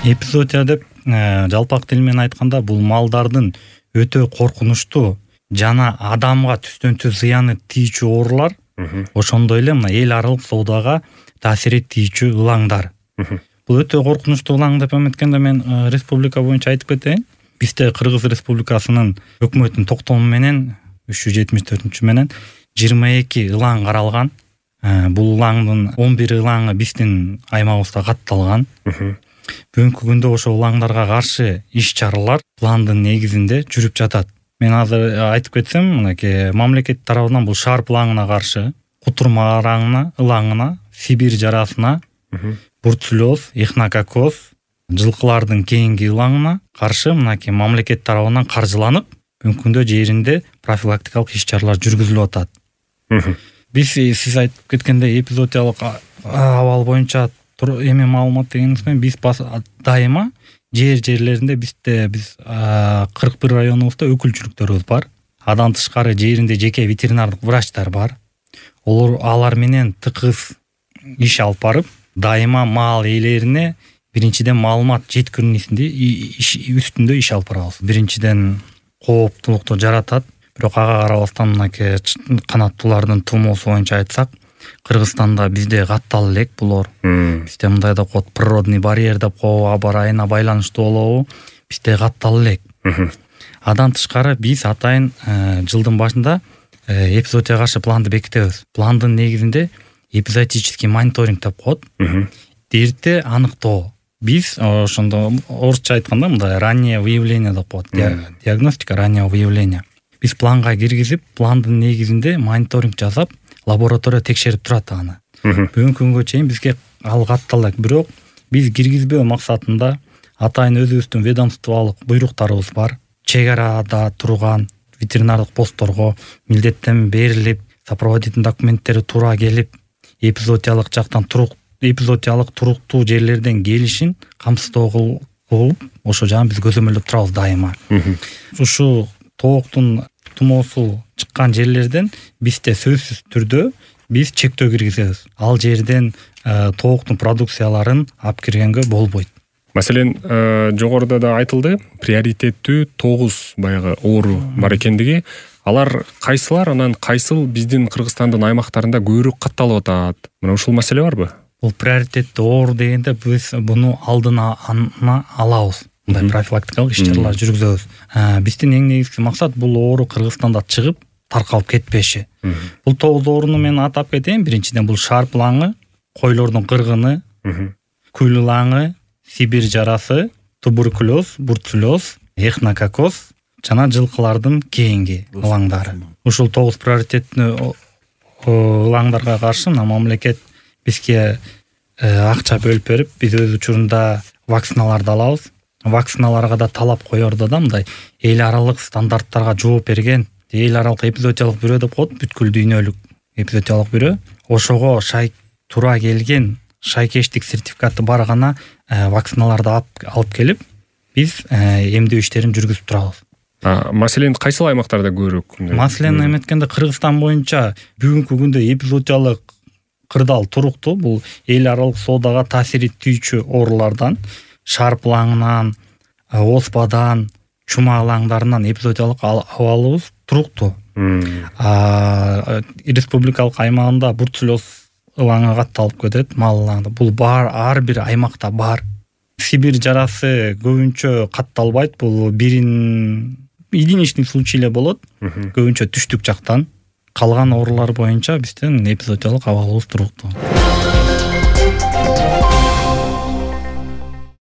Эпизоотия деп жалпак тил менен айтканда бул малдардын өтө коркунучтуу жана адамга түстөн түз зыяны тийчү оорулар, ошондой эле мына эл аралык соодага таасир этүүчү ылаңдар. Бул өтө коркунучтуу ылаң деп эметкенде мен республика боюнча айтып кетейин. Бизде Кыргыз Республикасынын өкмөтүнүн токтому менен 374 менен 22 ылаң каралган. Бул ылаңдын 11 ылаңы биздин аймагыбызда катталган. Бүгүнкү күндө ошол ылаңдарга каршы иш-чаралар пландын негизинде жүрүп жатат. Мен азыр айтып кетсем, мынакей мамлекет тарабынан бул шарп ылаңына каршы, кутурма ылаңына, Сибирь жарасына, бурцулез, эхинококоз, жылкылардын кейинги ылаңына каршы мынакей мамлекет тарабынан каржыланып, бүгүнкү күндө жеринде профилактикалык иш-чаралар жүргүзүлүп атат. Сиз айтып кеткендей эпизоотиялык абал боюнча эме маалымат дегениңиз менен биз дайыма жерлеринде биз 41 районубузда өкүлчүлүктөрүбүз бар. Андан тышкары жеринде жеке ветеринардык врачтар бар. Алар менен тыгыз иш алып барып, дайыма мал ээлерине биринчиден маалымат жеткирүүсүндө үстүндө иш алып барабыз. Биринчиден кооптулукту жаратат. Бирок ага карабастан мынакей канаттуулардын тумоосу боюнча айтсак, Кыргызстанда бизде каттал элек булор. Бизде мындай деп коет, природный барьер деп коебу, аба ырайына байланыштуу болобу, бизде каттал элек. Андан тышкары биз атайын жылдын башында эпизоотияга каршы планды бекитебиз. Пландын негизинде эпизоотический мониторинг деп коет. Дертти аныктоо. Биз ошондо орусча айтканда мындай раннее выявление деп коет. Диагностика раннего выявления. Биз планга киргизип, пландын негизинде мониторинг жасап, лаборатория текшерип турат аны. Бүгүнкү күнгө чейин бизге ал катталат. Бирок биз киргизбөө максатында атайын өзүбүздүн ведомстволук буйруктарыбыз бар. Чек арада турган ветеринардык постторго милдеттен берилип, сопроводительный документтери туура келип, эпизоотиялык жактан эпизоотиялык туруктуу жерлерден келишин камсыздоо кылып, ошо жагын биз көзөмөлдөп турабыз дайыма. Ушу тооктун тумоосу чыккан жерлерден бизде сөзсүз түрдө биз чектөө киргизебиз. Ал жерден тооктун продукцияларын алып киргенге болбойт. Маселен, жогоруда да айтылды, приоритеттүү 9 баягы оору бар экендиги. Алар кайсылар, анан кайсыл биздин Кыргызстандын аймактарында көбүрөөк катталып атат? Мына ушул маселе барбы? Бул приоритеттүү оору дегенде биз буну алдына алабыз. Мындай профилактикалык иш-чаралар жүргүзөбүз. Биздин эң негизги максат бул оору Кыргызстанда чыгып, таркалып кетпеши. Бул 9 ооруну мен атап кетейин. Биринчиден бул шарп ылаңы, койлордун кыргыны, күл ылаңы, Сибирь жарасы, туберкулез, бурцулез, эхинококоз жана жылкылардын кейинги ылаңдары. Ушул 9 приоритеттүү ылаңдарга каршы мамлекет бизге акча бөлүп берип, биз өз учурунда вакциналарды алабыз. Вакциналарга да талап коердо да, мындай эл аралык стандарттарга жооп берген эл аралык эпизоотиялык бирөө деп коет, бүткүл дүйнөлүк эпизоотиялык бирөө. Ошого туура келген шайкештик сертификаты бар гана вакциналарды алып келип, биз эмдөө иштерин жүргүзүп турабыз. Маселен, кайсыл аймактарда көбүрөөк? Маселен эметкенде Кыргызстан боюнча бүгүнкү күндө эпизоотиялык кырдаал туруктуу. Бул эл аралык соодага таасир этүүчү оорулардан, шарп ылаңынан, оспадан, чума ылаңдарынан эпизоотиялык абалыбыз туруктуу. Республикалык аймагында бурцулез ылаңы катталып кетет, мал ылаңы. Бул ар бир аймакта бар. Сибирь жарасы көбүнчө катталбайт. Бул единичный случай эле болот. Көбүнчө түштүк жактан. Калган оорулар боюнча биздин эпизоотиялык абалыбыз туруктуу.